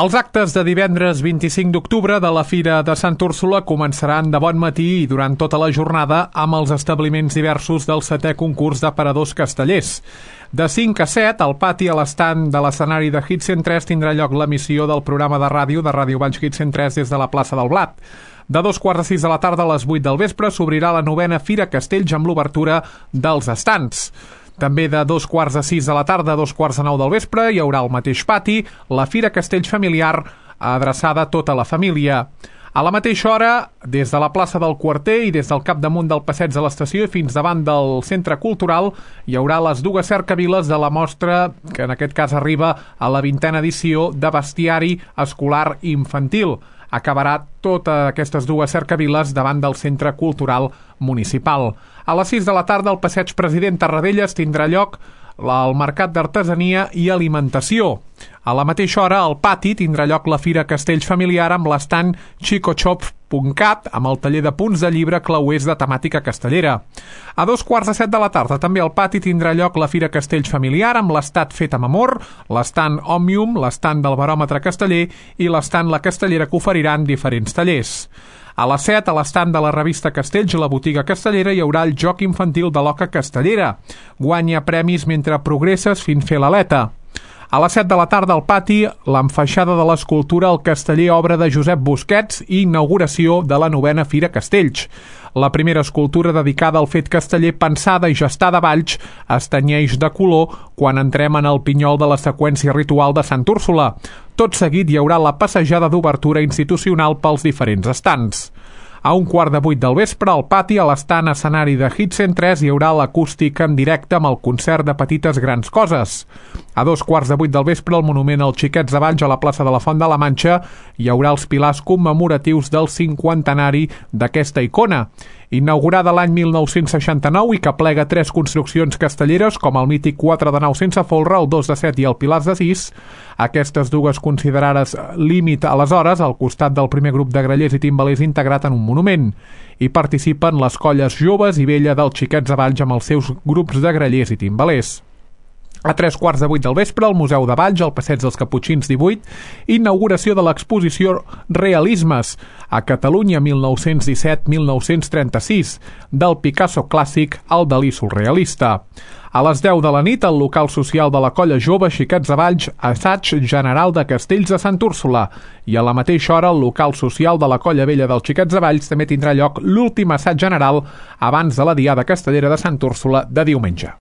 Els actes de divendres 25 d'octubre de la Fira de Sant Úrsula començaran de bon matí i durant tota la jornada amb els establiments diversos del 7è concurs d'aparadors castellers. De 5 a 7, al pati a l'estand de l'escenari de Hit 103 tindrà lloc l'emissió del programa de Ràdio Valls Hit 103 des de la plaça del Blat. De 2:45 de la tarda a les 8 del vespre s'obrirà la 9a Fira Castells amb l'obertura dels estands. També de 2:45 de la tarda a 2:45 del vespre hi haurà al mateix pati la Fira Castells familiar adreçada a tota la família. A la mateixa hora, des de la plaça del Quarter i des del capdamunt del passeig de l'estació i fins davant del centre cultural hi haurà les dues cercaviles de la mostra, que en aquest cas arriba a la 20a edició de bestiari escolar infantil. Acabarà totes aquestes dues cercaviles davant del centre cultural municipal. A les 6 de la tarda, al passeig President Tarradellas tindrà lloc el mercat d'artesania i alimentació. A la mateixa hora, al pati tindrà lloc la Fira Castells familiar amb l'estand chicoshop.cat amb el taller de punts de llibre clauers de temàtica castellera. A 2:15 de la tarda, també al pati tindrà lloc la Fira Castells familiar amb l'estat fet amb amor, l'estand Òmnium, l'estand del baròmetre casteller i l'estand La Castellera que oferiran diferents tallers. A les 7, a l'estand de la revista Castells, a la botiga castellera, hi haurà el joc infantil de l'oca castellera. Guanya premis mentre progresses fins fer l'aleta. A les 7 de la tarda al pati, l'enfaixada de l'escultura al casteller obra de Josep Busquets i inauguració de la 9a Fira Castells. La primera escultura dedicada al fet casteller pensada i gestada a Valls es tenyeix de color quan entrem en el pinyol de la seqüència ritual de Sant Úrsula. Tot seguit hi haurà la passejada d'obertura institucional pels diferents estands. A 7:15 del vespre, al pati, a l'estant escenari de Hit 103, hi haurà l'acústic en directe amb el concert de Petites Grans Coses. A 2:15 del vespre, al monument als Xiquets de Valls, a la plaça de la Font de la Manxa, hi haurà els pilars commemoratius del 50enari d'aquesta icona. Inaugurada l'any 1969 i que plega 3 construccions castelleres, com el mític 4 de nau sense folre, el 2 de 7 i el Pilars de 6, aquestes dues considerades límit aleshores al costat del primer grup de grallers i timbalers integrat en un monument. Hi participen les colles joves i vella dels Xiquets de Valls amb els seus grups de grallers i timbalers. A 3:15 del vespre, al Museu de Valls, al passeig dels Caputxins 18, inauguració de l'exposició Realismes, a Catalunya 1917-1936, del Picasso clàssic al Dalí surrealista. A les 10 de la nit, al local social de la colla jove Xiquets de Valls, assaig general de Castells de Sant Úrsula, i a la mateixa hora, al local social de la colla vella dels Xiquets de Valls també tindrà lloc l'últim assaig general abans de la diada castellera de Sant Úrsula de diumenge.